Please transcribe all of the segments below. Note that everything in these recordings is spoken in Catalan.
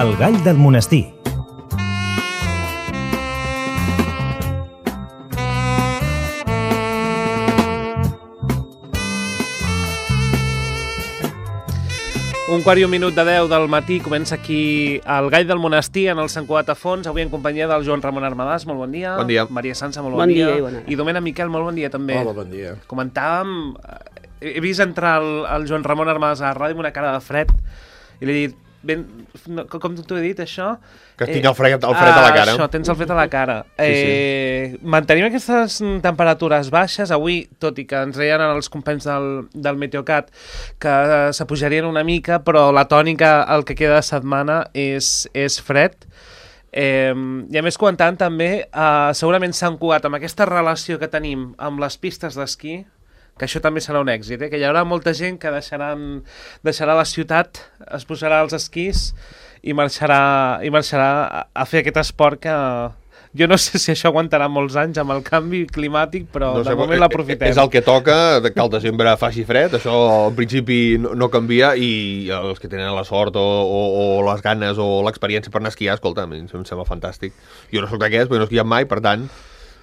El gall del monestir. Un quart i un minut de 10 del matí, comença aquí el Gall del Monestir en el Sant Cugat a Fons, avui en companyia del Joan Ramon Armadàs, molt bon dia. Bon dia. Maria Sansa, molt bon dia. I bona hora. I Domènec Miquel, molt bon dia també. Hola, bon dia. Comentàvem, he vist entrar el Joan Ramon Armadàs a la ràdio amb una cara de fred i li he dit, com t'ho he dit, això? Que tinc el fred a la cara. Això, tens el fred a la cara. Sí. Mantenim aquestes temperatures baixes. Avui, tot i que ens deien els companys del Meteocat que s'apujarien una mica, però la tònica, el que queda de setmana, és fred. I a més, comentant també, segurament Sant Cugat, amb aquesta relació que tenim amb les pistes d'esquí, que això també serà un èxit, que hi haurà molta gent que deixarà la ciutat, es posarà als esquís i marxarà a fer aquest esport que jo no sé si això aguantarà molts anys amb el canvi climàtic, però no sé, de moment l'aprofitem. És el que toca, que al desembre faci fred, això al principi no canvia, i els que tenen la sort o les ganes o l'experiència per anar a esquiar, escolta, em sembla fantàstic. Jo no soc d'aquests, perquè no he esquiat mai, per tant,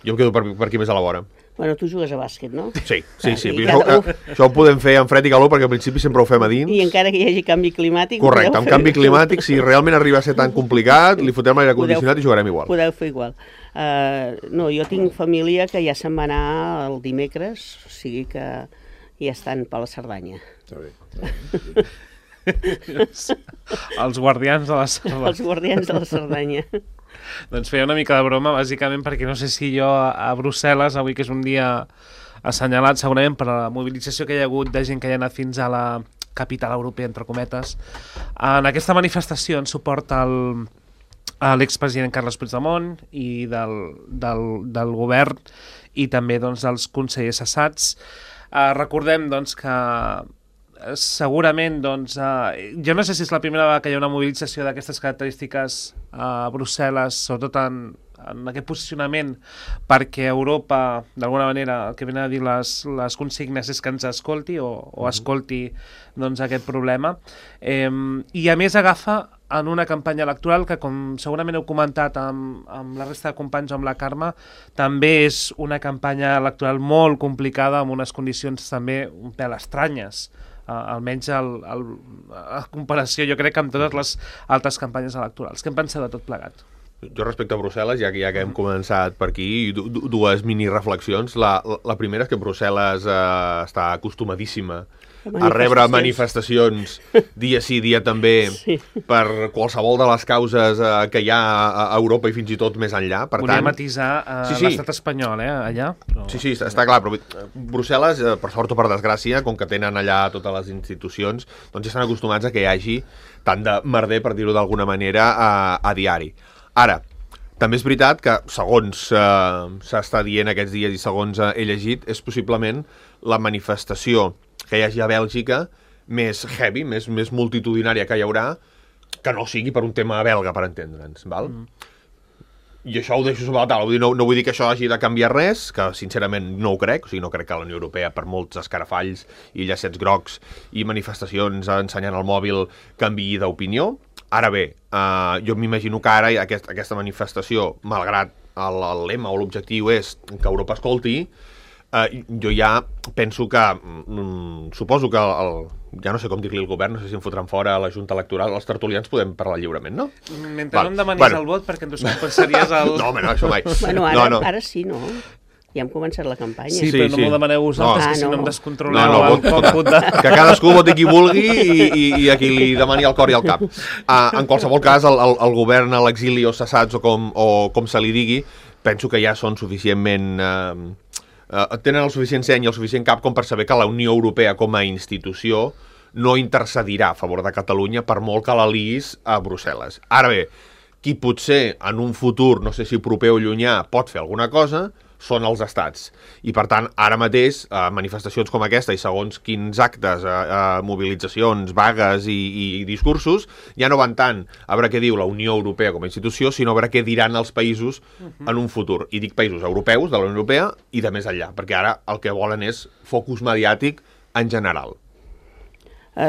jo em quedo per aquí més a la vora. Bueno, tu jugues a bàsquet, no? Sí. Això ho podem fer en fred i calor, perquè al principi sempre ho fem a dins. I encara que hi hagi canvi climàtic... Correcte, amb canvi climàtic, si realment arriba a ser tan complicat, li fotrem l'aire condicionat i jugarem igual. Podeu fer igual. No, jo tinc família que ja se'n va anar el dimecres, o sigui que ja estan per la Cerdanya. Està bé. Els guardians de la Cerdanya. Els guardians de la Cerdanya. Doncs feia una mica de broma, bàsicament, perquè no sé si jo a Brussel·les, avui que és un dia assenyalat segurament per la mobilització que hi ha hagut de gent que hi ha anat fins a la capital europea, entre cometes, en aquesta manifestació en suport a l'expresident Carles Puigdemont i del govern i també doncs, dels consellers cessats. Recordem doncs, que segurament, doncs, jo no sé si és la primera vegada que hi ha una mobilització d'aquestes característiques a Brussel·les, sobretot en aquest posicionament, perquè Europa, d'alguna manera, el que venen a dir les consignes és que ens escolti o escolti doncs, aquest problema. I a més agafa en una campanya electoral que, com segurament heu comentat amb la resta de companys o amb la Carme, també és una campanya electoral molt complicada, amb unes condicions també un pèl estranyes, almenys a comparació, jo crec, amb totes les altres campanyes electorals. Què en penseu de tot plegat? Jo respecte a Brussel·les, ja que hem començat per aquí, dues mini-reflexions. La primera és que Brussel·les està acostumadíssima a rebre manifestacions dia sí, dia també, per qualsevol de les causes que hi ha a Europa i fins i tot més enllà. Volia matisar l'estat espanyol, allà. Sí, està clar, però Brussel·les, per sort o per desgràcia, com que tenen allà totes les institucions, doncs ja estan acostumats a que hi hagi tant de merder, per dir-ho d'alguna manera, a diari. Ara, també és veritat que, segons s'està dient aquests dies i segons he llegit, és possiblement la manifestació que hi hagi a Bèlgica més heavy, més multitudinària que hi haurà, que no sigui per un tema belga, per entendre'ns, val? I això ho deixo sobre la taula, no vull dir que això hagi de canviar res, que sincerament no ho crec, o sigui, no crec que la Unió Europea, per molts escarafalls i llacets grocs i manifestacions ensenyant el mòbil, canviï d'opinió. Ara bé, jo m'imagino que ara aquesta manifestació, malgrat el lema o l'objectiu és que Europa escolti, jo ja penso que, suposo que ja no sé com dir-li al govern, no sé si em fotran fora a la Junta Electoral, els tertulians podem parlar lliurement, no? Mentre no em demanis el vot, perquè en tu compensaries el... No, home, no, això mai. Bueno, ara sí, no? Ja hem començat la campanya. Sí, però no m'ho demaneu vosaltres, que si no em descontroleu el còmput de... Que cadascú voti qui vulgui i a qui li demani el cor i el cap. En qualsevol cas, el govern a l'exili o cessats o com se li digui, penso que ja són suficientment... tenen el suficient seny i el suficient cap com per saber que la Unió Europea com a institució no intercedirà a favor de Catalunya per molt que la liïs a Brussel·les. Ara bé, qui potser en un futur, no sé si proper o llunyà, pot fer alguna cosa, són els estats. I, per tant, ara mateix, manifestacions com aquesta i segons quins actes, mobilitzacions, vagues i discursos, ja no van tant a veure què diu la Unió Europea com a institució, sinó a veure què diran els països en un futur. I dic països europeus, de la Unió Europea, i de més enllà, perquè ara el que volen és focus mediàtic en general.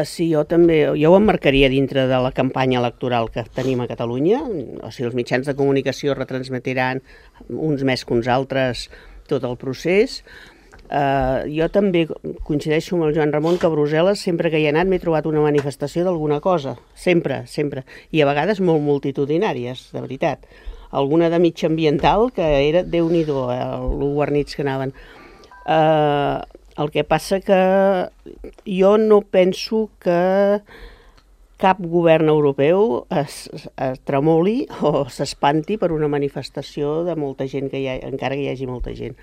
Sí, jo ho emmarcaria dintre de la campanya electoral que tenim a Catalunya, o sigui, els mitjans de comunicació retransmetiran uns més que uns altres tot el procés. Jo també coincideixo amb el Joan Ramon que a Brussel·les, sempre que hi he anat, m'he trobat una manifestació d'alguna cosa, sempre, i a vegades molt multitudinàries, de veritat. Alguna de mitjambiental, que era Déu-n'hi-do, lo guarnits que anaven. El que passa que jo no penso que cap govern europeu es tremoli o s'espanti per una manifestació de molta gent, encara que hi hagi molta gent.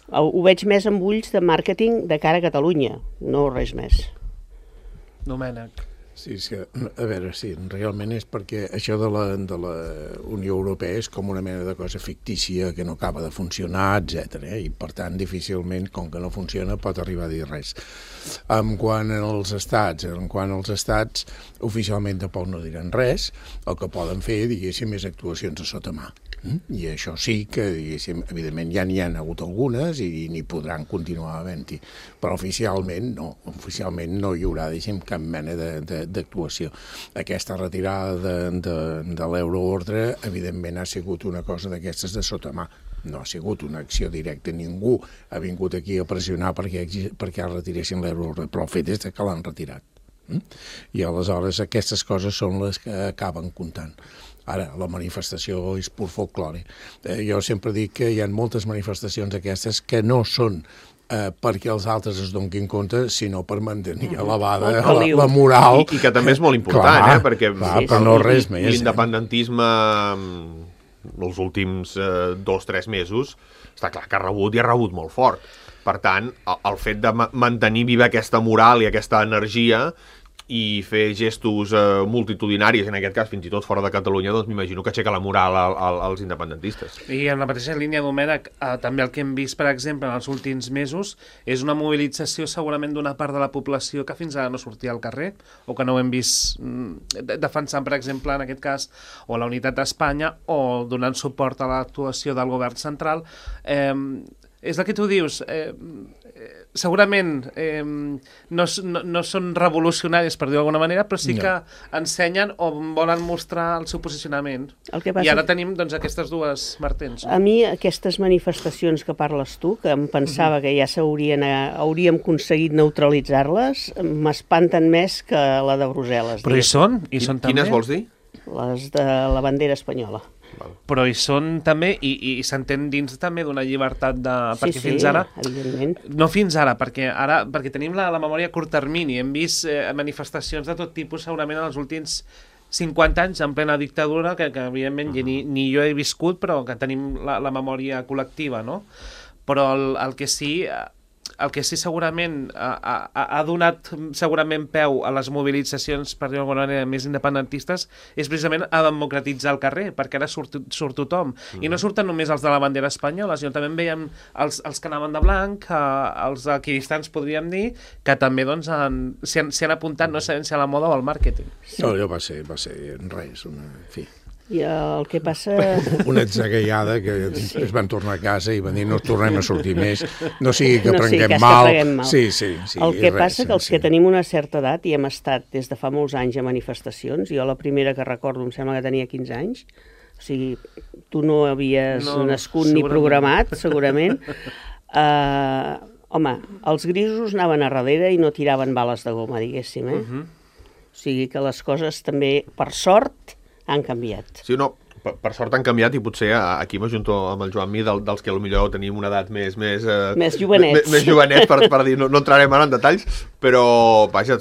Ho veig més amb ulls de màrqueting de cara a Catalunya, no res més. Domènec. Sí, és que, a veure, sí, realment és perquè això de la Unió Europea és com una mena de cosa fictícia que no acaba de funcionar, etc. I, per tant, difícilment, com que no funciona, pot arribar a dir res. Quant als estats, oficialment tampoc no diran res, el que poden fer, diguéssim, és actuacions a sota mà. I això sí que, diguéssim, evidentment ja n'hi ha hagut algunes i n'hi podran continuar havent-hi, però oficialment no hi haurà, diguéssim, cap mena d'actuació. Aquesta retirada de l'euroordre, evidentment, ha sigut una cosa d'aquestes de sota mà. No ha sigut una acció directa, ningú ha vingut aquí a pressionar perquè retiressin l'euroordre, però el fet és que l'han retirat. I aleshores aquestes coses són les que acaben comptant. Ara, la manifestació és pur folklore. Jo sempre dic que hi ha moltes manifestacions aquestes que no són perquè els altres es donguin compte, sinó per mantenir elevada la moral. I que també és molt important, perquè però no res més. L'independentisme els últims 2-3 mesos està clar que ha rebut molt fort. Per tant, el fet de mantenir viva aquesta moral i aquesta energia i fer gestos multitudinaris, en aquest cas fins i tot fora de Catalunya, doncs m'imagino que aixeca la moral als independentistes. I en la mateixa línia, Domènec, també el que hem vist, per exemple, en els últims mesos, és una mobilització segurament d'una part de la població que fins ara no sortia al carrer, o que no ho hem vist defensant, per exemple, en aquest cas, o la unitat d'Espanya, o donant suport a l'actuació del govern central. És el que tu dius, segurament no són revolucionaris, per dir-ho d'alguna manera, però sí que ensenyen o volen mostrar el seu posicionament. I ara tenim aquestes dues vertents. A mi aquestes manifestacions que parles tu, que em pensava que ja hauríem aconseguit neutralitzar-les, m'espanten més que la de Brussel·les. Però hi són també. Quines vols dir? Les de la bandera espanyola. Però hi són també, i s'entén dins també d'una llibertat perquè fins ara... evidentment. No fins ara, perquè tenim la memòria a curt termini. Hem vist manifestacions de tot tipus segurament en els últims 50 anys en plena dictadura, que evidentment ni jo he viscut, però que tenim la memòria col·lectiva, no? Però el que sí segurament ha donat segurament peu a les mobilitzacions, per dir-ho d'alguna manera, més independentistes, és precisament a democratitzar el carrer, perquè ara surt tothom. I no surten només els de la bandera espanyola, sinó també en veiem els que anaven de blanc, els equidistants, podríem dir, que també s'hi han apuntat, no sabem si a la moda o al màrqueting. No, allò va ser res, fi. I el que passa... Una atzagaiada que es van tornar a casa i van dir no tornem a sortir més, no sigui que prenguem mal. Sí. El que passa que els que tenim una certa edat i hem estat des de fa molts anys a manifestacions, jo la primera que recordo em sembla que tenia 15 anys, o sigui, tu no havies nascut ni programat, segurament. Home, els grisos anaven a darrere i no tiraven bales de goma, diguéssim, O sigui que les coses també, per sort, han canviat. Sí, no, per sort han canviat i potser aquí m'ajunto amb el Joan Mi dels que potser tenim una edat més jovenets. Més jovenets per dir, no entrarem ara en detalls, però vaja,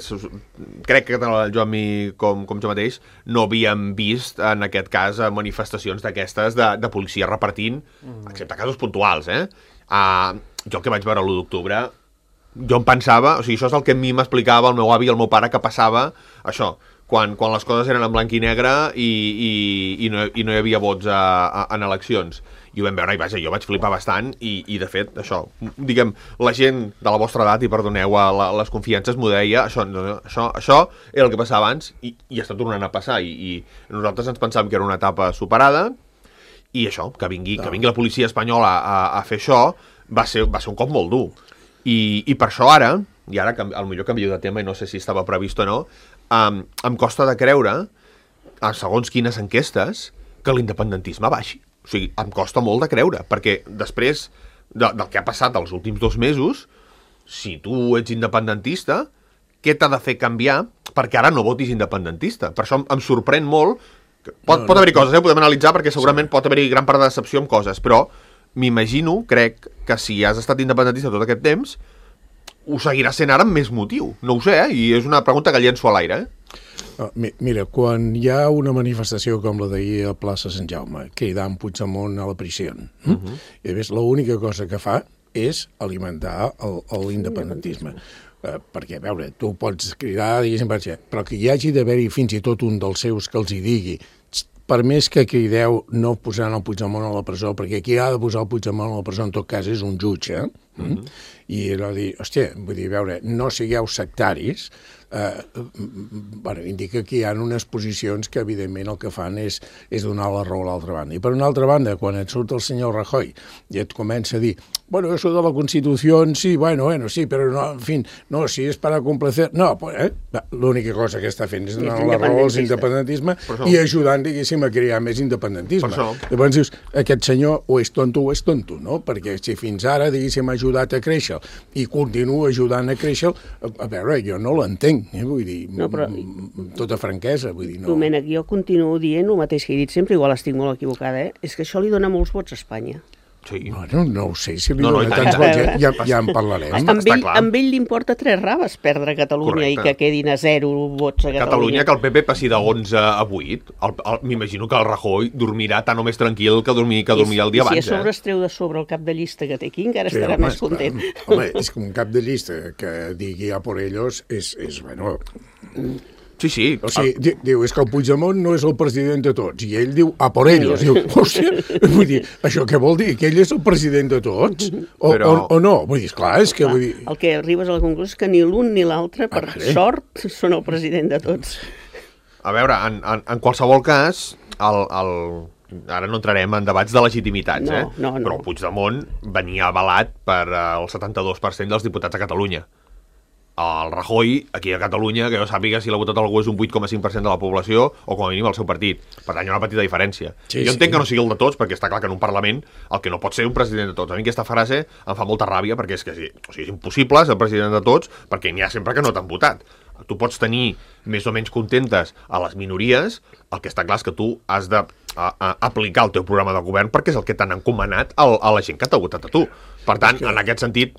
crec que tant el Joan Mi com jo mateix no havíem vist en aquest cas manifestacions d'aquestes de policia repartint, excepte casos puntuals, jo el que vaig veure l'1 d'octubre, jo em pensava, o sigui, això és el que a mi m'explicava el meu avi i el meu pare que passava, això, quan les coses eren en blanc i negre i no hi havia vots en eleccions. I ho vam veure, i vaja, jo vaig flipar bastant i de fet, això, diguem, la gent de la vostra edat, i perdoneu les confiances, m'ho deia, això era el que passava abans i està tornant a passar i nosaltres ens pensàvem que era una etapa superada i això, que vingui la policia espanyola a fer això va ser un cop molt dur. I per això ara i ara potser canvio de tema i no sé si estava previst o no, em costa de creure, a segons quines enquestes, que l'independentisme baixi. O sigui, em costa molt de creure, perquè després del que ha passat els últims 2 mesos, si tu ets independentista, què t'ha de fer canviar perquè ara no votis independentista? Per això em sorprèn molt. Pot haver-hi coses, podem analitzar, perquè segurament pot haver-hi gran part de decepció amb coses, però m'imagino, crec, que si has estat independentista tot aquest temps, ho seguirà sent ara amb més motiu. No ho sé, i és una pregunta que llenço a l'aire, Mira, quan hi ha una manifestació com la d'ahir a plaça Sant Jaume, cridant Puigdemont a la prisió, i a més l'única cosa que fa és alimentar l'independentisme. Perquè, a veure, tu pots cridar, diguéssim, però que hi hagi d'haver-hi fins i tot un dels seus que els hi digui, per més que crideu no posaran el Puigdemont a la presó, perquè qui ha de posar el Puigdemont a la presó en tot cas és un jutge, i era dir, hòstia, vull dir, a veure, no sigueu sectaris, indica que hi ha unes posicions que evidentment el que fan és donar la raó a l'altra banda. I per una altra banda, quan et surt el senyor Rajoy i et comença a dir, bueno, eso de la Constitución, sí, bueno, sí, però no, en fin, no, si és para complacer... No, pues, l'única cosa que està fent és donar la raó als independentisme i ajudant, diguéssim, a crear més independentisme. Llavors dius, aquest senyor o és tonto, no? Perquè si fins ara, diguéssim, ha ajudat a créixer i continua ajudant a créixer, a veure, jo no l'entenc, vull dir, no, però... tota franquesa, vull dir, no. Domènec, jo continuo dient el mateix que he dit sempre, igual estic molt equivocada, és que això li dona molts vots a Espanya. Sí. Bueno, no ho sé, si li dona tants vots, ja en parlarem. Amb ell li importa 3 raves perdre Catalunya. Correcte. I que quedin a 0 vots a Catalunya. Catalunya, que el PP passi de 11 a 8, m'imagino que el Rajoy dormirà tan o més tranquil que dormia el dia abans. I si a sobre es treu de sobre el cap de llista que té aquí, encara estarà més content. Home, és que un cap de llista que digui a por ellos és bueno... Sí. O sigui, diu, és que el Puigdemont no és el president de tots, i ell diu, a por ellos. Diu, hòstia, vull dir, això què vol dir? Que ell és el president de tots? O no? Vull dir, esclar, és que... Vull dir... El que arribes a la conclusió és que ni l'un ni l'altre, per sort, són el president de tots. A veure, en qualsevol cas, ara no entrarem en debats de legitimitats, no. Però el Puigdemont venia avalat per el 72% dels diputats a Catalunya. El Rajoy, aquí a Catalunya, que jo sàpiga si l'ha votat algú és un 8,5% de la població, o com a mínim el seu partit. Per tant, hi ha una petita diferència. Jo entenc que no sigui el de tots, perquè està clar que en un Parlament el que no pot ser un president de tots. A mi aquesta frase em fa molta ràbia, perquè és que és impossible ser president de tots, perquè n'hi ha sempre que no t'han votat. Tu pots tenir més o menys contentes a les minories, el que està clar és que tu has d'aplicar el teu programa de govern perquè és el que t'han encomanat a la gent que t'ha votat a tu. Per tant, en aquest sentit,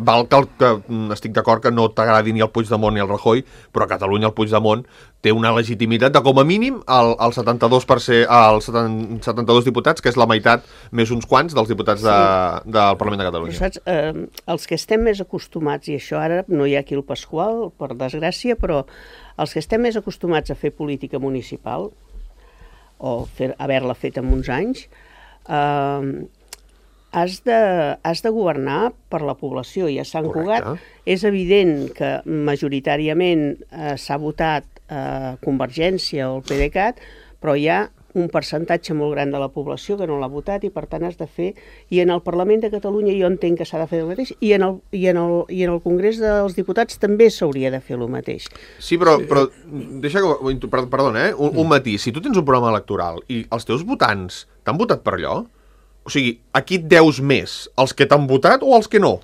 val que estic d'acord que no t'agradi ni el Puigdemont ni el Rajoy, però a Catalunya el Puigdemont té una legitimitat de com a mínim el 72%, els 72 diputats, que és la meitat més uns quants dels diputats del Parlament de Catalunya. Però saps, els que estem més acostumats, i això ara no hi ha aquí el Pasqual, per desgràcia, però els que estem més acostumats a fer política municipal, o haver-la fet en uns anys, has de governar per la població. I a Sant Cugat és evident que majoritàriament s'ha votat Convergència o el PDeCAT, però hi ha un percentatge molt gran de la població que no l'ha votat i per tant has de fer, i en el Parlament de Catalunya jo entenc que s'ha de fer el mateix, i en el Congrés dels Diputats també s'hauria de fer el mateix. Sí, però deixa que... Perdona, un matís. Si tu tens un programa electoral i els teus votants t'han votat per allò, o sigui, a qui et deus més? Els que t'han votat o els que no?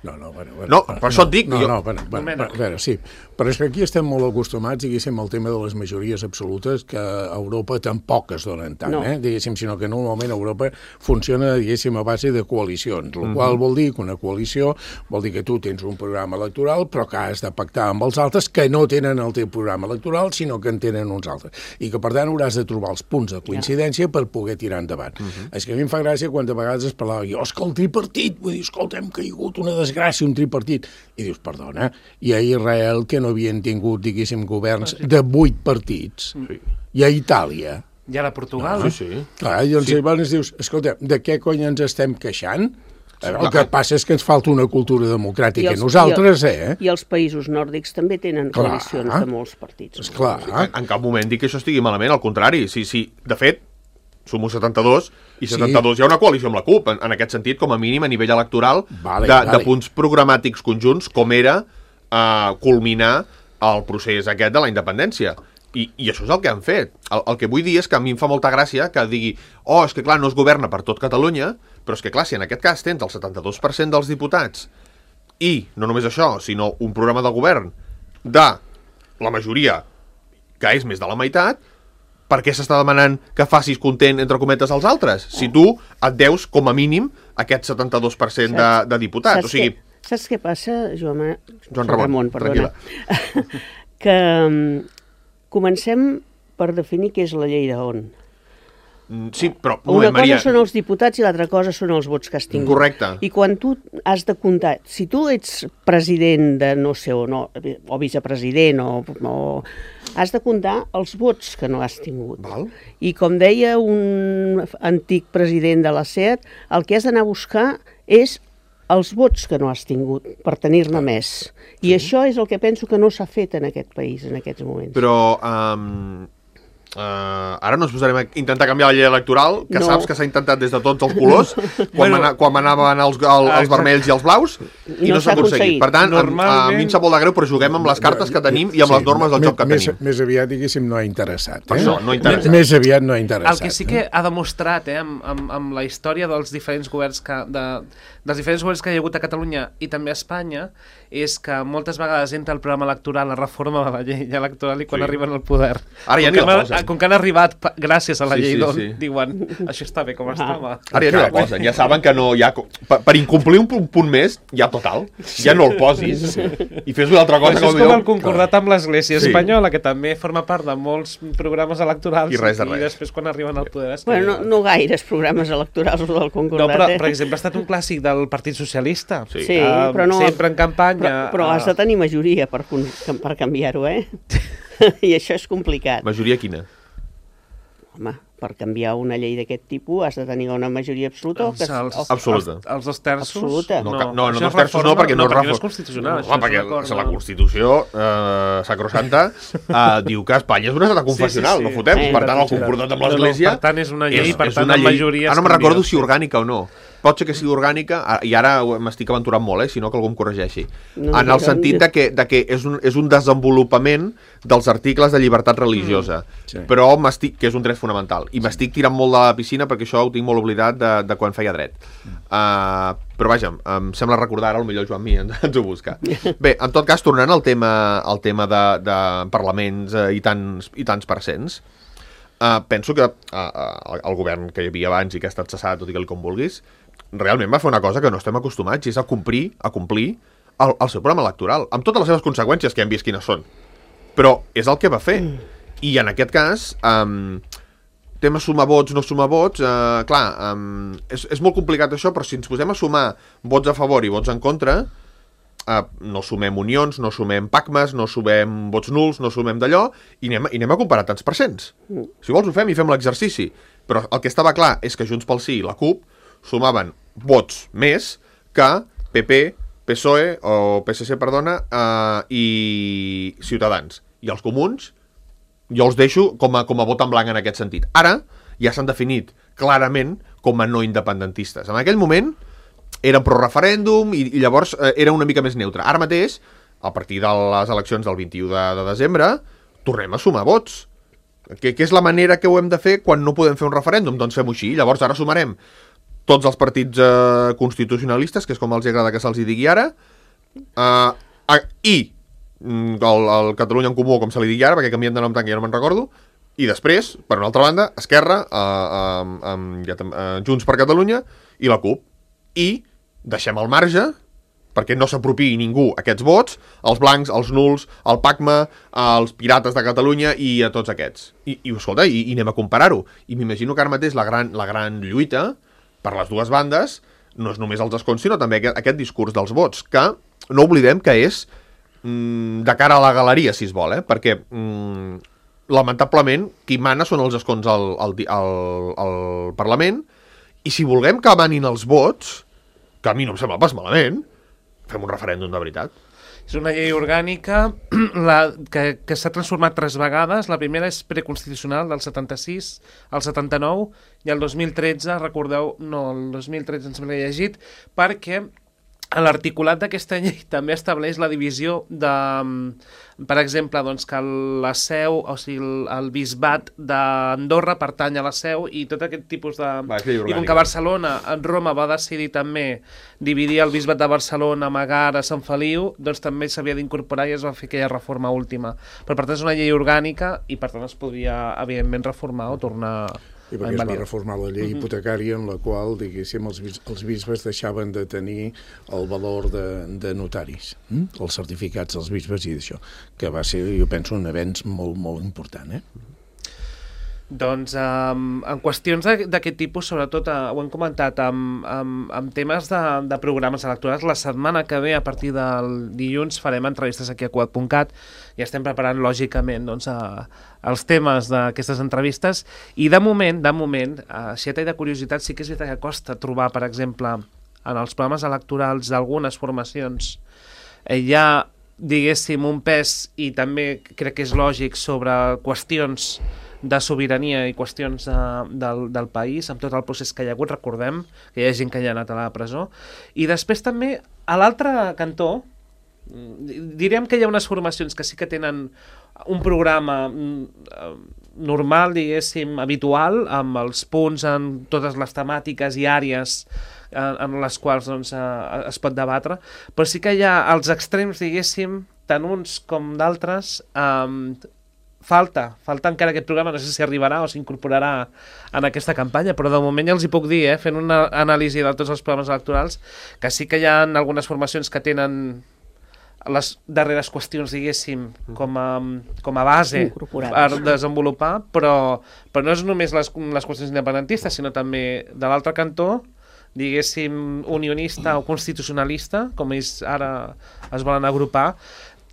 No, per això et dic... A veure, sí, però és que aquí estem molt acostumats, diguéssim, al tema de les majories absolutes, que a Europa tampoc es donen tant, diguéssim, sinó que normalment Europa funciona, diguéssim, a base de coalicions, el qual vol dir que una coalició vol dir que tu tens un programa electoral, però que has de pactar amb els altres que no tenen el teu programa electoral, sinó que en tenen uns altres, i que, per tant, hauràs de trobar els punts de coincidència per poder tirar endavant. És que a mi em fa gràcia quan de vegades es parlava, és que el tripartit, vull dir, escolta, hem caigut una desgràcia, un tripartit, i dius, perdona, i a Israel, que no havien tingut, diguéssim, governs de 8 partits, i a Itàlia. I ara a Portugal. Sí. Clar, i doncs llavors dius, escolta, de què cony ens estem queixant? El que passa és que ens falta una cultura democràtica. Nosaltres, I els països nòrdics també tenen coalicions de molts partits. Esclar. En cap moment dic que això estigui malament, al contrari. Sí, de fet, som 72, i 72 hi ha una coalició amb la CUP, en aquest sentit, com a mínim a nivell electoral, de punts programàtics conjunts, com era culminar el procés aquest de la independència. I això és el que han fet. El que vull dir és que a mi em fa molta gràcia que digui és que clar, no es governa per tot Catalunya, però és que clar, si en aquest cas tens el 72% dels diputats i no només això, sinó un programa de govern de la majoria, que és més de la meitat, per què s'està demanant que facis content, entre cometes, als altres? Si tu et deus, com a mínim, aquest 72% de diputats. Saps què passa, Joan Ramon, perdona? Que comencem per definir què és la llei d'on. Sí, però... Una cosa són els diputats i l'altra cosa són els vots que has tingut. Correcte. I quan tu has de comptar... Si tu ets president de no sé on, o vicepresident, o has de comptar els vots que no has tingut. Val. I com deia un antic president de la SEAT, el que has d'anar a buscar és els vots que no has tingut per tenir-ne més. I això és el que penso que no s'ha fet en aquest país en aquests moments. Però ara no ens posarem a intentar canviar la llei electoral, que saps que s'ha intentat des de tots els colors, quan anaven els vermells i els blaus, i no s'ha aconseguit. Per tant, a mi em sap molt de greu, però juguem amb les cartes que tenim i amb les normes del joc que tenim. Més aviat, diguéssim, no ha interessat. Això, no ha interessat. Més aviat no ha interessat. El que sí que ha demostrat, amb la història dels diferents governs que hi ha hagut a Catalunya i també a Espanya, és que moltes vegades entra el programa electoral, la reforma de la llei electoral, i quan arriben al poder... Ara ja ni la posen. Com que han arribat gràcies a la llei d'on, diuen, això està bé com estava. Ara ja no la posen, ja saben que no hi ha... Per incomplir un punt més, ja total, ja no el posis i fes una altra cosa. Això és com el concordat amb l'Església Espanyola, que també forma part de molts programes electorals, i després quan arriben al poder... Bueno, no gaires programes electorals del concordat. No, però, per exemple, ha estat un clàssic del Partit Socialista. Sí, però no... Sempre en campanya... Però has de tenir majoria per canviar-ho, I això és complicat. Majoria quina? Home, per canviar una llei d'aquest tipus has de tenir una majoria absoluta. Absoluta. Els 2 terços? Absoluta. No, 2 terços no, perquè no és constitucional. Perquè la Constitució sacrosanta diu que Espanya és un estat confessional, no fotem. Per tant, el concordat amb l'Església... Per tant, és una llei, per tant, amb majoria... Ara no me'n recordo si orgànica o no. Pot ser que sigui orgànica, i ara m'estic aventurant molt, si no que algú em corregeixi. En el sentit de que és un desenvolupament dels articles de llibertat religiosa, però que és un dret fonamental. I m'estic tirant molt de la piscina perquè això ho tinc molt oblidat de quan feia dret. Però vaja, em sembla recordar ara, potser Joan Mi ens ho busca. Bé, en tot cas, tornant al tema de parlaments i tants percents, penso que el govern que hi havia abans i que ha estat cessat, tot i que com vulguis, realment va fer una cosa que no estem acostumats, i és a complir el seu programa electoral, amb totes les seves conseqüències, que hem vist quines són. Però és el que va fer. I en aquest cas, tema sumar vots, no sumar vots, clar, és molt complicat això, però si ens posem a sumar vots a favor i vots en contra, no sumem unions, no sumem pacmes, no sumem vots nuls, no sumem d'allò, i anem a comparar tants percents. Si vols ho fem i fem l'exercici. Però el que estava clar és que Junts pel Sí i la CUP sumaven vots més que PP, PSOE, o PSC, perdona, i Ciutadans. I els comuns jo els deixo com a vot en blanc en aquest sentit. Ara ja s'han definit clarament com a no independentistes. En aquell moment eren pro-referèndum i llavors era una mica més neutre. Ara mateix, a partir de les eleccions del 21 de desembre, tornem a sumar vots. Què és la manera que ho hem de fer quan no podem fer un referèndum? Doncs fem-ho així. Llavors ara sumarem tots els partits constitucionalistes, que és com els agrada que se'ls digui ara, i el Catalunya en Comú, com se li digui ara, perquè canvien de nom tant que ja no me'n recordo, i després, per una altra banda, Esquerra, Junts per Catalunya i la CUP. I deixem al marge, perquè no s'apropiï ningú aquests vots, els blancs, els nuls, el PACMA, els pirates de Catalunya i a tots aquests. I escolta, i anem a comparar-ho. I m'imagino que ara mateix la gran lluita per les dues bandes no és només els escons, sinó també aquest discurs dels vots, que no oblidem que és de cara a la galeria, si es vol, perquè lamentablement qui mana són els escons al Parlament, i si volem que manin els vots, que a mi no em sembla pas malament, fem un referèndum de veritat. És una llei orgànica que s'ha transformat 3 vegades. La primera és preconstitucional, del 76 al 79, i el 2013, recordeu, no, el 2013 ens l'he llegit, perquè l'articulat d'aquesta llei també estableix la divisió de, per exemple, doncs, que la seu, o sigui, el bisbat d'Andorra pertany a la seu i tot aquest tipus de... I com que Barcelona, Roma va decidir també dividir el bisbat de Barcelona, Megara, Sant Feliu, doncs també s'havia d'incorporar i es va fer aquella reforma última. Però per tant és una llei orgànica i per tant es podria, evidentment, reformar o tornar... I perquè es va reformar la llei hipotecària en la qual, diguéssim, els bisbes deixaven de tenir el valor de notaris, els certificats dels bisbes i d'això, que va ser, jo penso, un avenç molt, molt important, Doncs en qüestions d'aquest tipus, sobretot ho hem comentat amb temes de programes electorals. La setmana que ve, a partir del dilluns, farem entrevistes aquí a Quad.cat i estem preparant lògicament doncs, els temes d'aquestes entrevistes i de moment, si a tall de curiositat, sí que és veritat que costa trobar, per exemple, en els programes electorals d'algunes formacions hi ha, diguéssim, un pes i també crec que és lògic sobre qüestions de sobirania i qüestions del país, amb tot el procés que hi ha hagut, recordem que hi ha gent que hi ha anat a la presó. I després també, a l'altre cantó, diríem que hi ha unes formacions que sí que tenen un programa normal, diguéssim, habitual, amb els punts en totes les temàtiques i àrees en les quals doncs, es pot debatre, però sí que hi ha els extrems, diguéssim, tant uns com d'altres, falta encara aquest programa, no sé si arribarà o s'incorporarà en aquesta campanya, però de moment ja els hi puc dir, fent una anàlisi de tots els programes electorals, que sí que hi ha algunes formacions que tenen les darreres qüestions, diguéssim, com a base per desenvolupar, però no és només les qüestions independentistes, sinó també de l'altre cantó, diguéssim, unionista o constitucionalista, com ells ara es volen agrupar.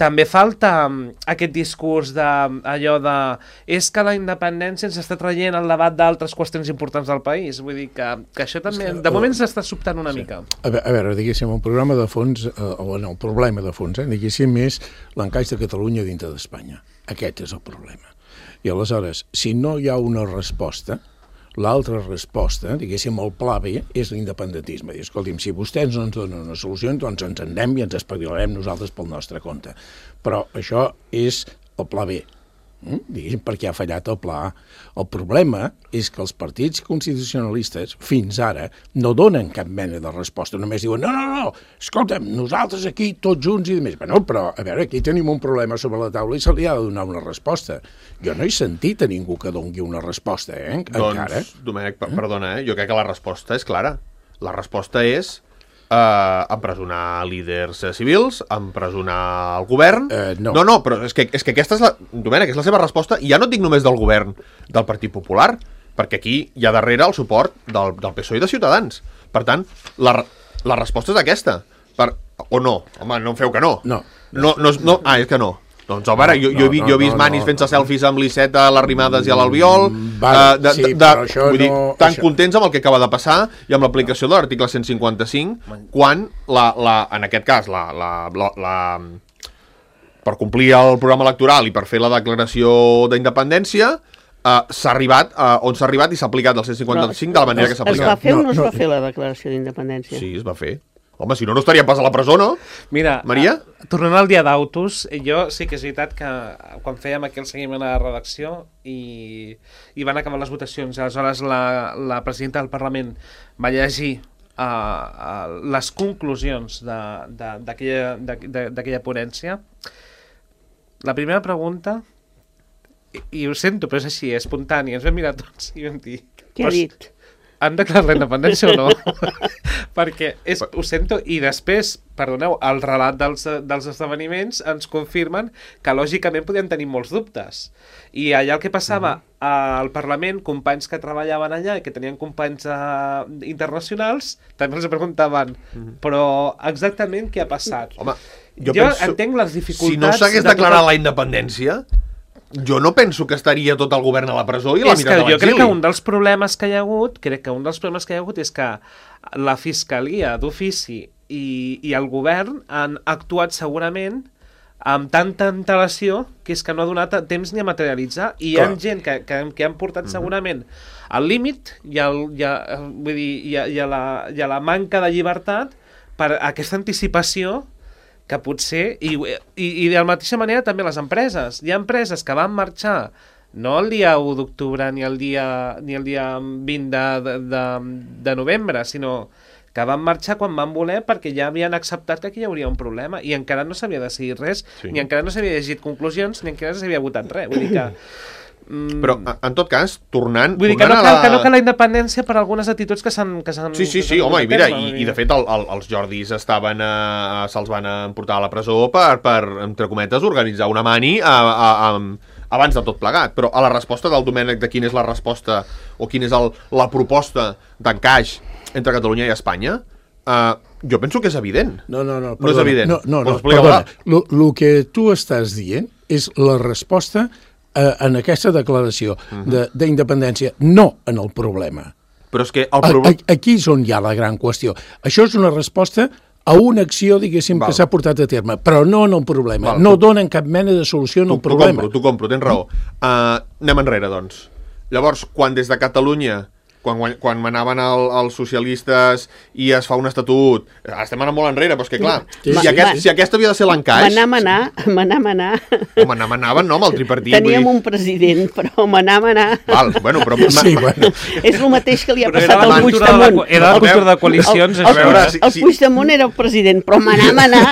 També falta aquest discurs d'allò de és que la independència ens està traient el debat d'altres qüestions importants del país. Vull dir que això també, de moment s'està sobtant una mica. A veure, diguéssim, el programa de fons, el problema de fons, diguéssim, és l'encaix de Catalunya dintre d'Espanya. Aquest és el problema. I aleshores, si no hi ha una resposta, l'altra resposta, diguéssim, el pla B, és l'independentisme. I, escolti'm, si vostès no ens donen una solució, doncs ens anem i ens espavilarem nosaltres pel nostre compte. Però això és el pla B, diguéssim, perquè ha fallat el pla A. El problema és que els partits constitucionalistes, fins ara, no donen cap mena de resposta. Només diuen, no, escolta'm, nosaltres aquí, tots junts i demés. Bueno, però, a veure, aquí tenim un problema sobre la taula i se li ha de donar una resposta. Jo no he sentit a ningú que doni una resposta, encara. Doncs, Domènec, perdona, jo crec que la resposta és clara. La resposta és empresonar líders civils, empresonar el govern... No, però és que aquesta és Domènec, és la seva resposta, i ja no et dic només del govern del Partit Popular, perquè aquí hi ha darrere el suport del PSOE i de Ciutadans. Per tant, la resposta és aquesta. O no? Home, no em feu que no. No. És que no. Doncs, home, jo he vist manis fent-se selfies amb l'Iceta, a les Rimades i a l'Albiol, vull dir, tan contents amb el que acaba de passar i amb l'aplicació de l'article 155, quan, en aquest cas, per complir el programa electoral i per fer la declaració d'independència, s'ha arribat on s'ha arribat i s'ha aplicat el 155 de la manera que s'ha aplicat. Es va fer o no es va fer la declaració d'independència? Sí, es va fer. Home, si no estaríem pas a la presó, no? Mira, Maria? Tornant al dia d'autos, jo sí que és veritat que quan fèiem aquí el seguiment a la redacció i van acabar les votacions, aleshores la presidenta del Parlament va llegir les conclusions d'aquella ponència. La primera pregunta, i ho sento, però és així, espontània, ens vam mirar tots i vam dir... Què ha dit? Han declarat la independència o no? Perquè, ho sento, i després, perdoneu, el relat dels esdeveniments ens confirmen que lògicament podien tenir molts dubtes. I allà el que passava al Parlament, companys que treballaven allà i que tenien companys internacionals, també els preguntaven, però exactament què ha passat? Home, jo entenc les dificultats... Si no s'hagués declarat la independència... Jo no penso que estaria tot el govern a la presó i la meitat a l'exili. Jo crec que un dels problemes que hi ha hagut, és que la Fiscalia d'ofici i el govern han actuat segurament amb tanta antelació que és que no ha donat temps ni a materialitzar, i hi ha gent que han portat segurament al límit i a la manca de llibertat per aquesta anticipació que potser, i de la mateixa manera també les empreses. Hi ha empreses que van marxar no el dia 1 d'octubre ni el dia 20 de novembre, sinó que van marxar quan van voler perquè ja havien acceptat que aquí hi hauria un problema i encara no s'havia decidit res, ni encara no s'havia llegit conclusions, ni encara no s'havia votat res. Vull dir que... Però, en tot cas, tornant... Vull dir que no cal la independència per algunes actituds que s'han... Sí, home, i mira, i de fet els Jordis se'ls van emportar a la presó per, entre cometes, organitzar una mani abans de tot plegat. Però a la resposta del Domènec de quina és la resposta o quina és la proposta d'encaix entre Catalunya i Espanya, jo penso que és evident. No, no és evident. No, perdona. El que tu estàs dient és la resposta en aquesta declaració d'independència, no en el problema. Però és que el problema... Aquí és on hi ha la gran qüestió. Això és una resposta a una acció, diguéssim, que s'ha portat a terme, però no en el problema. No donen cap mena de solució en el problema. T'ho compro, tens raó. Anem enrere, doncs. Llavors, quan des de Catalunya... Quan manaven els socialistes i es fa un estatut, estem anant molt enrere, però és que clar, si aquest havia de ser l'encaix... Manar. Home, anaven, no, amb el tripartit. Teníem un president, però manar. Val, bueno, però... Sí, bueno. És el mateix que li ha passat al Puigdemont. Era la cultura de coalicions. El Puigdemont era el president, però manar.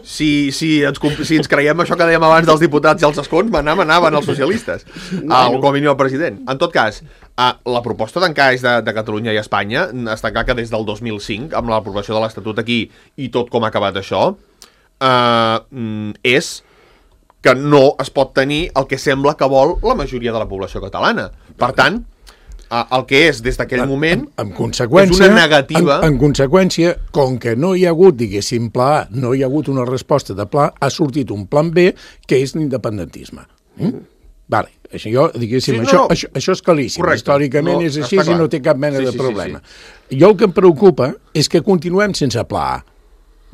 Si ens creiem això que dèiem abans dels diputats i els escons, manaven els socialistes, com a mínim el president. En tot cas, la proposta d'encaix de Catalunya i Espanya està clar que des del 2005, amb l'aprovació de l'Estatut aquí i tot com ha acabat això, és que no es pot tenir el que sembla que vol la majoria de la població catalana. Per tant, el que és des d'aquell moment és una negativa... En conseqüència, com que no hi ha hagut, diguéssim, pla A, no hi ha hagut una resposta de pla, ha sortit un plan B, que és l'independentisme. Vale, això, diguéssim, això és claríssim. Correcte. Històricament és així i no té cap mena de problema. Jo el que em preocupa és que continuem sense pla A.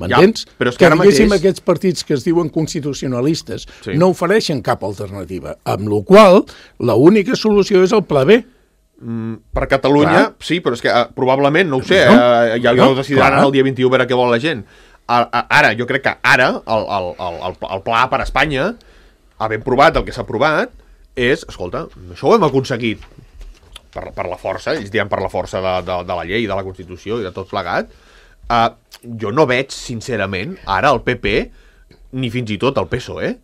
M'entens? Però és que diguéssim, aquests partits que es diuen constitucionalistes no ofereixen cap alternativa, amb la qual l'única solució és el pla B. Per Catalunya, sí, però és que probablement, no ho sé, ja ho decidiran el dia 21 veure què vol la gent. Ara, jo crec que ara el pla A per Espanya, havent provat el que s'ha provat, és, escolta, això ho hem aconseguit per la força, ells diuen per la força de la llei, de la Constitució i de tot plegat. Jo no veig, sincerament, ara el PP, ni fins i tot el PSOE,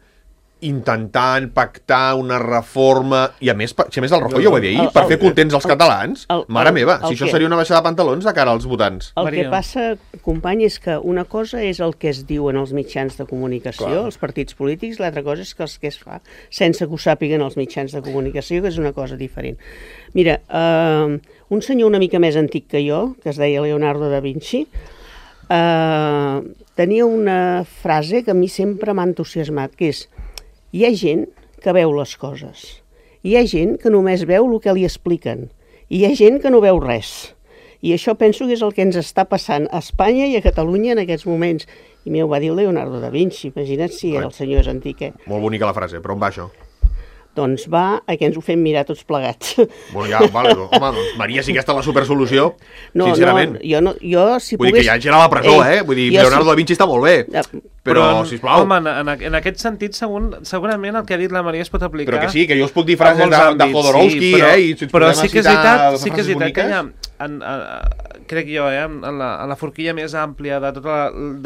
intentant pactar una reforma, i a més el Rajoy ho va dir ahir, per fer contents els catalans. Mare meva, si això seria una baixada de pantalons de cara als votants. El que passa, company, és que una cosa és el que es diu en els mitjans de comunicació, els partits polítics, l'altra cosa és que el que es fa sense que ho sàpiguen els mitjans de comunicació, que és una cosa diferent. Mira, un senyor una mica més antic que jo, que es deia Leonardo da Vinci, tenia una frase que a mi sempre m'ha entusiasmat, que és: hi ha gent que veu les coses, hi ha gent que només veu el que li expliquen, i hi ha gent que no veu res. I això penso que és el que ens està passant a Espanya i a Catalunya en aquests moments. I m'ho va dir Leonardo da Vinci, imagina't si el senyor és antic, Molt bonica la frase, però on va això? Doncs va a que ens ho fem mirar tots plegats. Bueno, ja, vale, home, doncs Maria, si aquesta és la supersolució, sincerament. Jo, si vull dir que ja gent a la presó, Vull dir, Leonardo da Vinci està molt bé, però, sisplau... Home, en aquest sentit, segurament el que ha dit la Maria es pot aplicar... Però que sí, que jo us puc dir frases de Jodorowsky, i si ens podem citar frases boniques... Crec jo, en la forquilla més àmplia de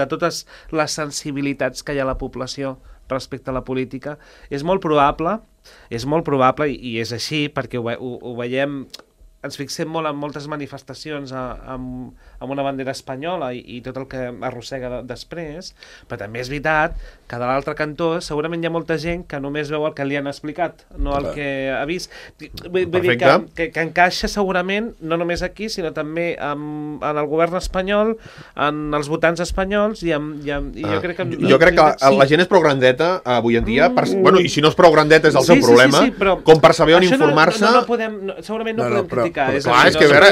totes les sensibilitats que hi ha a la població respecte a la política, és molt probable i és així perquè ho veiem, ens fixem molt en moltes manifestacions amb una bandera espanyola i tot el que arrossega després, però també és veritat que de l'altre cantó segurament hi ha molta gent que només veu el que li han explicat, no el que ha vist. Vull dir que encaixa segurament no només aquí, sinó també en el govern espanyol, en els votants espanyols i jo crec que... Jo crec que la gent és prou grandeta avui en dia, bueno, i si no és prou grandeta és el seu problema, com per saber on informar-se... Segurament no podem política. Clar, és que a veure,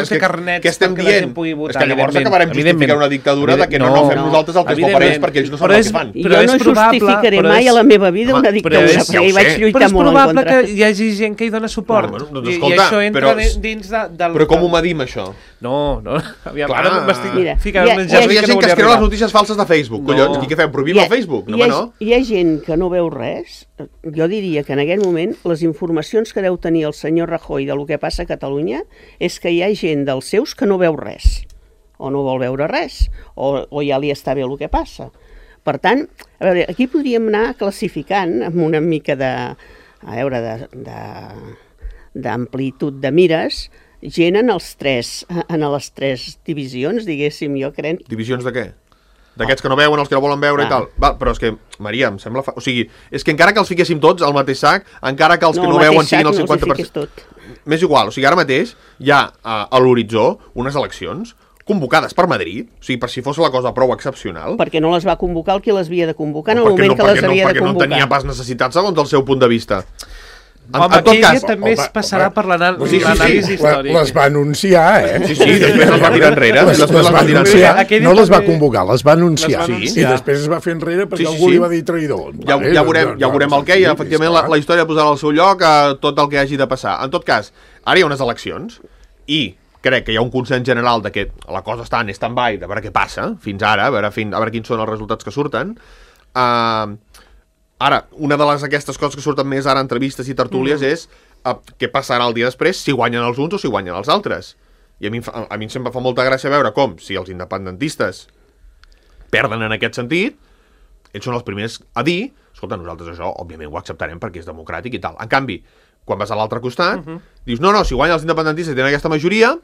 què estem dient? És que llavors acabarem justificant una dictadura de que no fem nosaltres el que es vol per ells perquè ells no saben el que fan. Jo no justificaré mai a la meva vida una dictadura, perquè hi vaig lluitar molt en contra. Però és probable que hi hagi gent que hi dona suport. Doncs escolta, però com ho medim, això? No, aviam, ara m'estic ficant un hi ha gent que es creu les notícies falses de Facebook, collons, i què fem, prohibim el Facebook? Hi ha gent que no veu res. Jo diria que en aquest moment les informacions que deu tenir el senyor Rajoy del que passa a Catalunya és que hi ha gent dels seus que no veu res, o no vol veure res, o ja li està bé el que passa. Per tant, a veure, aquí podríem anar classificant amb una mica d'amplitud de mires, gent en les tres divisions, diguéssim, jo crec. Divisions de què? D'aquests que no veuen, els que no volen veure i tal. Va, però és que, Maria, em sembla... O sigui, és que encara que els fiquéssim tots al mateix sac, encara que els que no veuen siguin el 50%... M'és igual, o sigui, ara mateix hi ha a l'horitzó unes eleccions convocades per Madrid, o sigui, per si fos la cosa prou excepcional... Perquè no les va convocar el qui les havia de convocar en el moment que les havia de convocar. Perquè no tenia pas necessitat segons el seu punt de vista. Home, aquella també es passarà per l'anàlisi històric. Les va anunciar, Sí, després les va tirar enrere. No les va convocar, les va anunciar. I després es va fer enrere perquè algú li va dir traïdor. Ja veurem el què, i efectivament la història posarà al seu lloc tot el que hagi de passar. En tot cas, ara hi ha unes eleccions i crec que hi ha un consens general de que la cosa està en stand-by, de veure què passa fins ara, a veure quins són els resultats que surten. Ara, una de aquestes coses que surten més ara, entrevistes i tertúlies, és què passarà el dia després, si guanyen els uns o si guanyen els altres. I a mi sempre fa molta gràcia veure com, si els independentistes perden en aquest sentit, ells són els primers a dir, escolta, nosaltres això, òbviament, ho acceptarem perquè és democràtic i tal. En canvi, quan vas a l'altre costat, dius, no, si guanyen els independentistes i tenen aquesta majoria...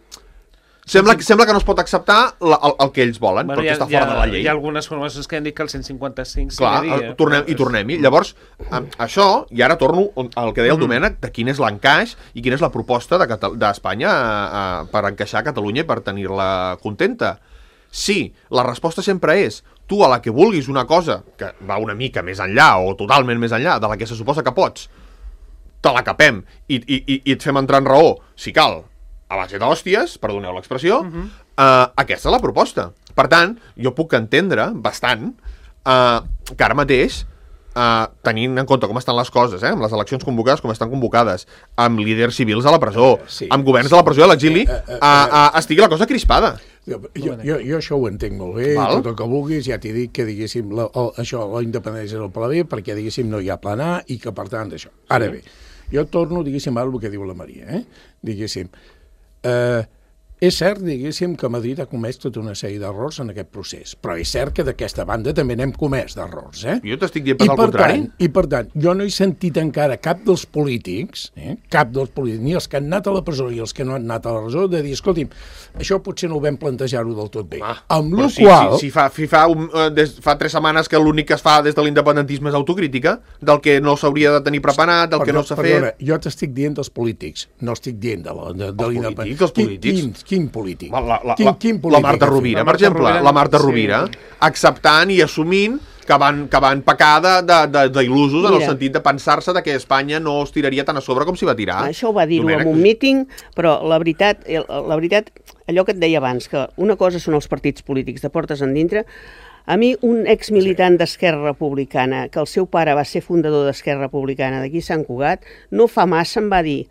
Sembla que no es pot acceptar el que ells volen, perquè està fora de la llei. Hi ha algunes formacions que han dit que el 155 Clar, tornem-hi. Llavors, això, i ara torno al que deia el Domènec, de quin és l'encaix i quina és la proposta d'Espanya per encaixar Catalunya i per tenir-la contenta. Sí, la resposta sempre és tu a la que vulguis una cosa que va una mica més enllà o totalment més enllà de la que se suposa que pots, te la capem i et fem entrar en raó, si cal, a base d'hòsties, perdoneu l'expressió, aquesta és la proposta. Per tant, jo puc entendre bastant que ara mateix, tenint en compte com estan les coses, amb les eleccions convocades com estan convocades, amb líders civils a la presó, amb governs a la presó i a l'exili, estigui la cosa crispada. Jo això ho entenc molt bé, tot el que vulguis, ja t'he dit que, diguéssim, això, la independència del pla B, perquè, diguéssim, no hi ha plan A i que, per tant, això. Ara bé, jo torno, diguéssim, ara el que diu la Maria, diguéssim, és cert, diguéssim, que Madrid ha comès tota una sèrie d'errors en aquest procés, però és cert que d'aquesta banda també n'hem comès d'errors, Jo t'estic dient pas al contrari. I per tant, jo no he sentit encara cap dels polítics, ni els que han anat a la presó i els que no han anat a la presó, de dir, escolti'm, això potser no ho vam plantejar-ho del tot bé. Amb la qual... Si fa 3 setmanes que l'únic que es fa des de l'independentisme és autocrítica, del que no s'hauria de tenir preparat, del que no s'ha fet... Perdona, jo t'estic dient dels polítics, no estic dient de l'independentista. Els polítics? Quin polític? La Marta Rovira, per exemple. La Marta Rovira, acceptant i assumint que van pecar d'il·lusos en el sentit de pensar-se que Espanya no es tiraria tan a sobre com s'hi va tirar. Això ho va dir-ho en un míting, però la veritat, allò que et deia abans, que una cosa són els partits polítics de portes endintre. A mi, un exmilitant d'Esquerra Republicana, que el seu pare va ser fundador d'Esquerra Republicana d'aquí Sant Cugat, no fa massa em va dir: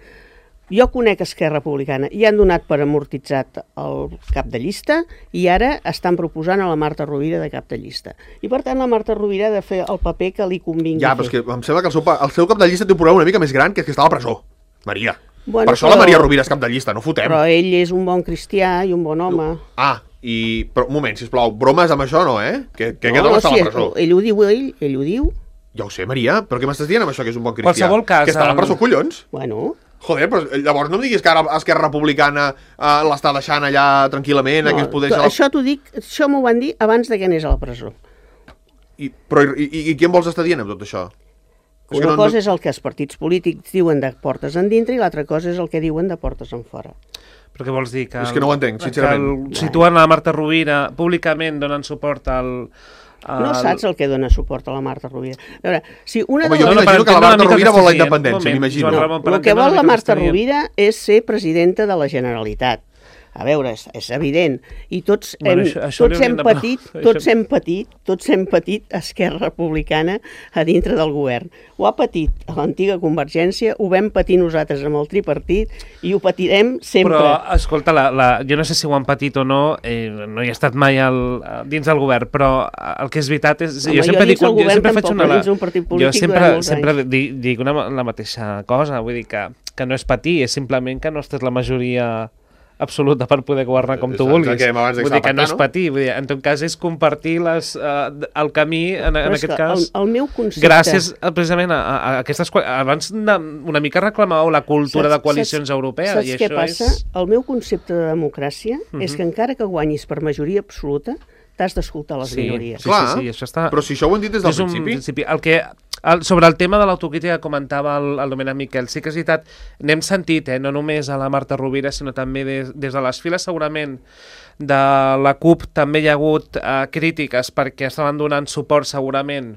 jo conec Esquerra Republicana i han donat per amortitzat el cap de llista i ara estan proposant a la Marta Rovira de cap de llista. I per tant la Marta Rovira ha de fer el paper que li convingui fer. Però és que em sembla que el seu cap de llista té un problema una mica més gran, que és que està a la presó. Maria. Bueno, per això la Maria Rovira és cap de llista, no fotem. Però ell és un bon cristià i un bon home. Però un moment, sisplau, bromes amb això no, Que aquest home està a la presó. Ell ho diu. Ja ho sé, Maria, però què m'estàs dient amb això que és un bon cristià? Qualsevol cas... Que està a la presó, collons? Bueno... Joder, però llavors no em diguis que ara Esquerra Republicana l'està deixant allà tranquil·lament, que es podeix... Això t'ho dic, això m'ho van dir abans de que anés a la presó. I què em vols estar dient amb tot això? Una cosa és el que els partits polítics diuen de portes endintre i l'altra cosa és el que diuen de portes enfora. Però què vols dir? És que no ho entenc, sincerament. Situant la Marta Rovira públicament donant suport No saps el que dona suport a la Marta Rovira. A veure, si una Home, de jo les... m'imagino que la Marta Rovira vol la independència, m'imagino. El que vol la Marta Rovira és ser presidenta de la Generalitat. A veure, és evident. I tots hem patit Esquerra Republicana a dintre del govern. Ho ha patit a l'antiga Convergència, ho vam patir nosaltres amb el tripartit i ho patirem sempre. Però, escolta, jo no sé si ho han patit o no, no hi he estat mai dins del govern, però el que és veritat és... Home, jo dins del govern tampoc, dins d'un partit polític durant molts anys. Sempre dic la mateixa cosa, vull dir que no és patir, és simplement que no estàs la majoria absoluta per poder governar com tu vulguis. Vull dir que no és patir, vull dir, en tot cas és compartir el camí, en aquest cas, el meu concepte... gràcies precisament a aquestes... Abans una mica reclamàveu la cultura de coalicions europees. Saps què passa? El meu concepte de democràcia és que encara que guanyis per majoria absoluta, t'has d'escoltar les minories. Sí, això està... Però si això ho hem dit des del principi. Sobre el tema de l'autocrítica que comentava el Domènec Miquel, sí que és veritat, n'hem sentit, no només a la Marta Rovira, sinó també des de les files segurament de la CUP també hi ha hagut crítiques perquè estaven donant suport segurament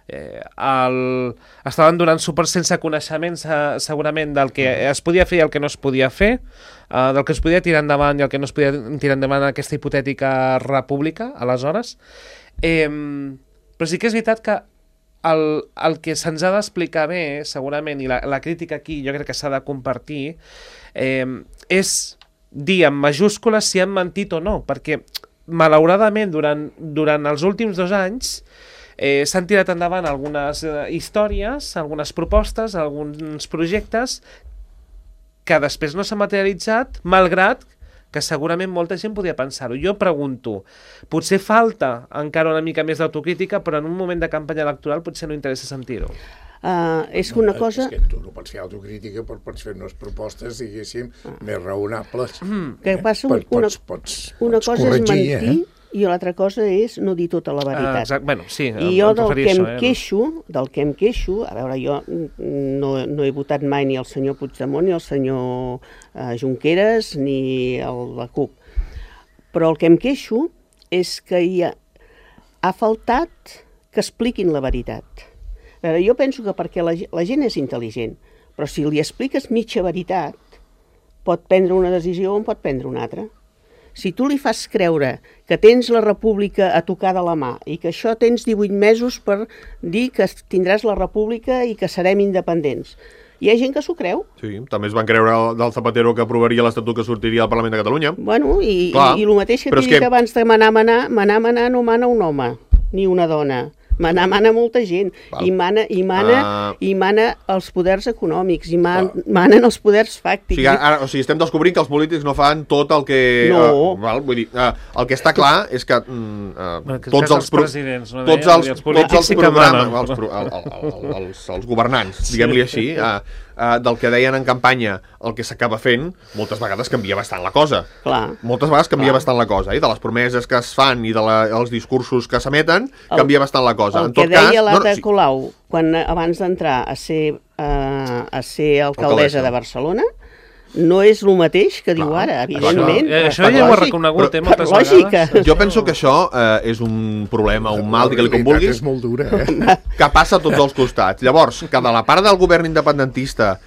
estaven donant suport sense coneixement segurament del que es podia fer i el que no es podia fer, del que es podia tirar endavant i el que no es podia tirar endavant en aquesta hipotètica república aleshores, però sí que és veritat que el que se'ns ha d'explicar bé segurament, i la crítica aquí jo crec que s'ha de compartir, és dir en majúscules si han mentit o no, perquè malauradament durant els últims 2 anys s'han tirat endavant algunes històries, algunes propostes, alguns projectes que després no s'han materialitzat, malgrat que segurament molta gent podia pensar-ho. Jo pregunto, potser falta encara una mica més d'autocrítica, però en un moment de campanya electoral potser no interessa sentir-ho. És una cosa... És que tu no pots fer autocrítica, però pots fer unes propostes, diguéssim, més raonables. Que passa una cosa és mentir i l'altra cosa és no dir tota la veritat. Bueno, sí, i jo del que em queixo, a veure, jo no he votat mai ni el senyor Puigdemont, ni el senyor Junqueras, ni la CUP, però el que em queixo és que ha faltat que expliquin la veritat. A veure, jo penso que perquè la gent és intel·ligent, però si li expliques mitja veritat, pot prendre una decisió o en pot prendre una altra. Si tu li fas creure que tens la república a tocar de la mà i que això tens 18 mesos per dir que tindràs la república i que serem independents, hi ha gent que s'ho creu. Sí, també es van creure del Zapatero que aprovaria l'Estatut que sortiria al Parlament de Catalunya. Bueno, i el mateix que t'he dit abans de manar no mana un home, ni una dona. Mana molta gent. I mana els poders econòmics, i manen els poders fàctics. O sigui, estem descobrint que els polítics no fan tot el que... No. Vull dir, el que està clar és que tots els presidents, els governants, diguem-li així, del que deien en campanya el que s'acaba fent, moltes vegades canvia bastant la cosa. Moltes vegades canvia bastant la cosa, de les promeses que es fan i dels discursos que s'emeten, canvia bastant la cosa. El que deia l'Ada Colau abans d'entrar a ser alcaldessa de Barcelona no és el mateix que diu ara, evidentment. Això ja ho ha reconegut moltes vegades. Jo penso que això és un problema, un mal, digue-li com vulguis, és molt dura, que passa a tots els costats. Llavors, que de la part del govern independentista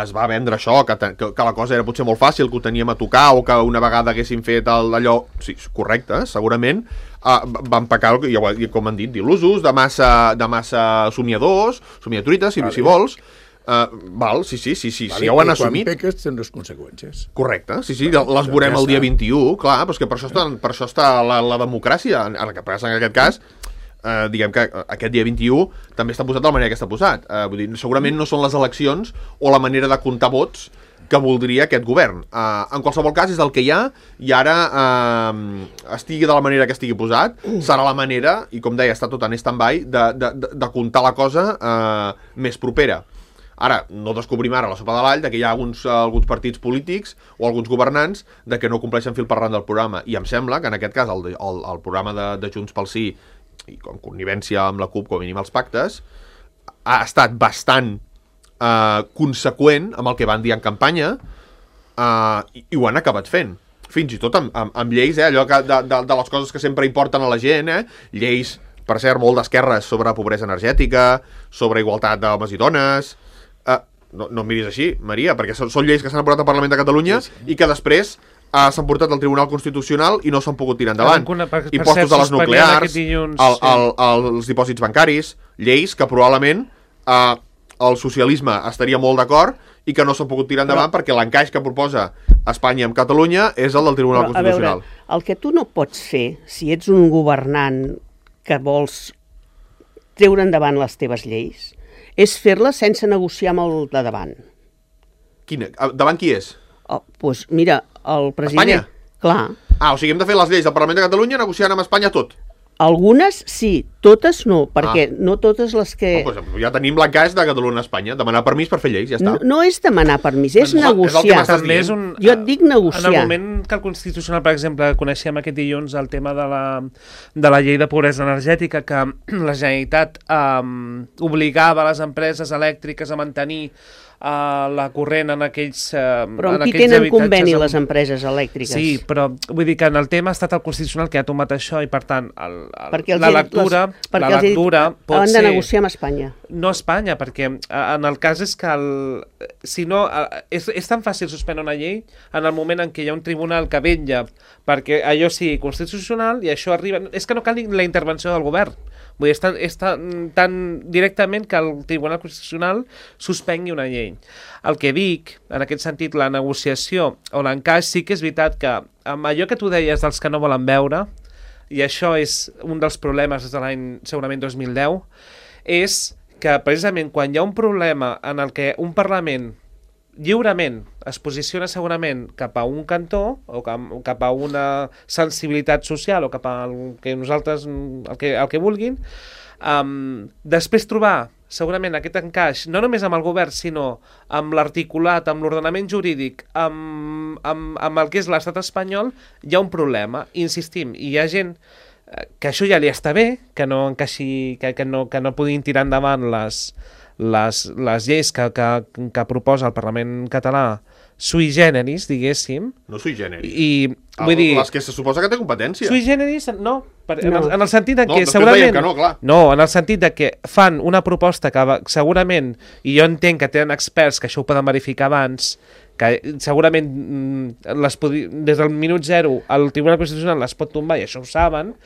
es va vendre això, que la cosa era potser molt fàcil, que ho teníem a tocar, o que una vegada haguéssim fet allò... Sí, correcte, segurament. Van pecar, com han dit, d'il·lusos, de massa somiadors, somiatrites, si vols. Sí, ja ho han assumit. Quan peques tenen les conseqüències. Correcte, sí, les veurem el dia 21, clar, però és que per això està la democràcia. En aquest cas, diguem que aquest dia 21 també està posat de la manera que està posat. Vull dir, segurament no són les eleccions o la manera de comptar vots que voldria aquest govern. En qualsevol cas, és el que hi ha, i ara estigui de la manera que estigui posat, serà la manera, i com deia, està tot en stand-by, de comptar la cosa més propera. Ara, no descobrim ara la sopa de l'all que hi ha alguns partits polítics o alguns governants que no compleixen fil per randa del programa, i em sembla que en aquest cas el programa de Junts pel Sí, i com connivència amb la CUP, com a mínim els pactes, ha estat bastant conseqüent amb el que van dir en campanya, i ho han acabat fent. fins i tot amb lleis, allò de les coses que sempre importen a la gent, lleis, per cert, molt d'esquerres sobre pobresa energètica, sobre igualtat d'homes i dones... No em miris així, Maria, perquè són lleis que s'han aprovat al Parlament de Catalunya i que després s'han portat al Tribunal Constitucional i no s'han pogut tirar endavant. Impostos a les nuclears, els dipòsits bancaris, lleis que probablement el socialisme estaria molt d'acord i que no s'han pogut tirar endavant perquè l'encaix que proposa Espanya amb Catalunya és el del Tribunal Constitucional. A veure, el que tu no pots fer, si ets un governant que vols treure endavant les teves lleis, és fer-la sense negociar amb el de davant. Davant qui és? Doncs mira, el president... Espanya? Clar. O sigui, hem de fer les lleis del Parlament de Catalunya negociant amb Espanya tot. Algunes sí, totes no, perquè no totes les que... Doncs ja tenim l'encaix de Catalunya-Espanya, demanar permís per fer lleis, ja està. No és demanar permís, és negociar. Jo et dic negociar. En el moment que el Constitucional, per exemple, coneixem aquest dilluns el tema de la llei de pobresa energètica, que la Generalitat obligava les empreses elèctriques a mantenir la corrent en aquells però amb qui tenen conveni les empreses elèctriques? Sí, però vull dir que en el tema ha estat el Constitucional que ha tomat això i per tant la lectura pot ser... Han de negociar amb Espanya. No Espanya, perquè en el cas és que si no, és tan fàcil suspendre una llei en el moment en què hi ha un tribunal que vetlla perquè allò sigui constitucional i això arriba... És que no cal la intervenció del govern. Vull dir, és tan directament que el Tribunal Constitucional suspengui una llei. El que dic, en aquest sentit, la negociació o l'encaix, sí que és veritat que amb allò que tu deies dels que no volen veure, i això és un dels problemes des de l'any segurament 2010, és que precisament quan hi ha un problema en el que un Parlament lliurement es posiciona segurament cap a un cantó o cap a una sensibilitat social o cap al que nosaltres el que vulguin, després trobar segurament aquest encaix no només amb el govern sinó amb l'articulat, amb l'ordenament jurídic, amb el que és l'estat espanyol, hi ha un problema. Insistim, hi ha gent que això ja li està bé, que no encaixi, que no puguin tirar endavant les lleis que proposa el Parlament català sui generis, diguéssim. No sui generis. I, vull dir... Les que se suposa que té competència. Sui generis, no. En el sentit de que segurament... Que no, clar. No, en el sentit de que fan una proposta que segurament, i jo entenc que tenen experts que això ho poden verificar abans, que segurament des del minut zero el Tribunal Constitucional les pot tombar i això ho saben,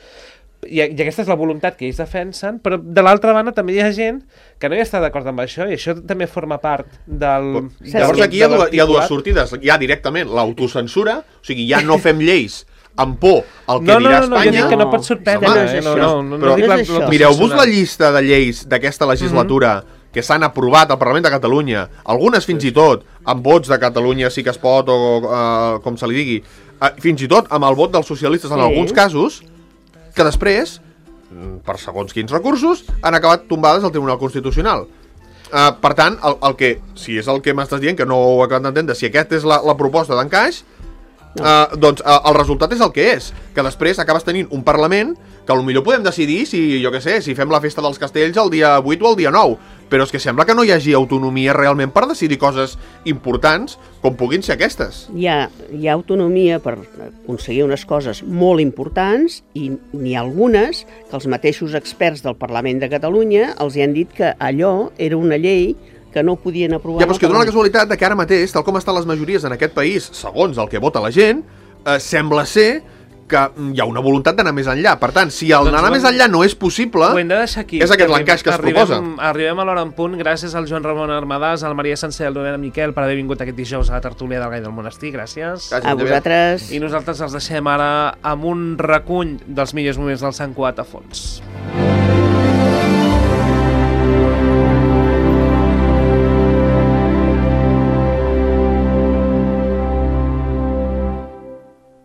i aquesta és la voluntat que ells defensen, però de l'altra banda també hi ha gent que no hi està d'acord amb això i això també forma part del... Llavors aquí hi ha dues sortides. Hi ha directament l'autocensura, o sigui, ja no fem lleis amb por al que dirà Espanya. No, jo dic que no pot sorprendre. Mireu-vos la llista de lleis d'aquesta legislatura que s'han aprovat al Parlament de Catalunya, algunes fins i tot amb vots de Catalunya sí que es pot o com se li digui, fins i tot amb el vot dels socialistes en alguns casos, que després, per segons quins recursos, han acabat tombades al Tribunal Constitucional. Per tant, si és el que m'estàs dient, que no ho he acabat d'entendre, si aquesta és la proposta d'encaix, doncs el resultat és el que és, que després acabes tenint un Parlament que potser podem decidir si fem la festa dels castells el dia 8 o el dia 9, però és que sembla que no hi hagi autonomia realment per decidir coses importants com puguin ser aquestes. Hi ha autonomia per aconseguir unes coses molt importants i n'hi ha algunes que els mateixos experts del Parlament de Catalunya els hi han dit que allò era una llei que no podien aprovar... Ja, però és que dona la casualitat que ara mateix, tal com estan les majories en aquest país, segons el que vota la gent, sembla ser que hi ha una voluntat d'anar més enllà. Per tant, si anar més enllà no és possible, ho hem de deixar aquí. És aquest l'encaix que es proposa. Arribem a l'hora en punt, gràcies al Joan Ramon Armadàs, al Maria Sencer i al Doriana Miquel per haver vingut aquest dijous a la tertúlia del Gall del Monestir. Gràcies. A vosaltres. I nosaltres els deixem ara amb un recull dels millors moments del Sant Cugat a fons.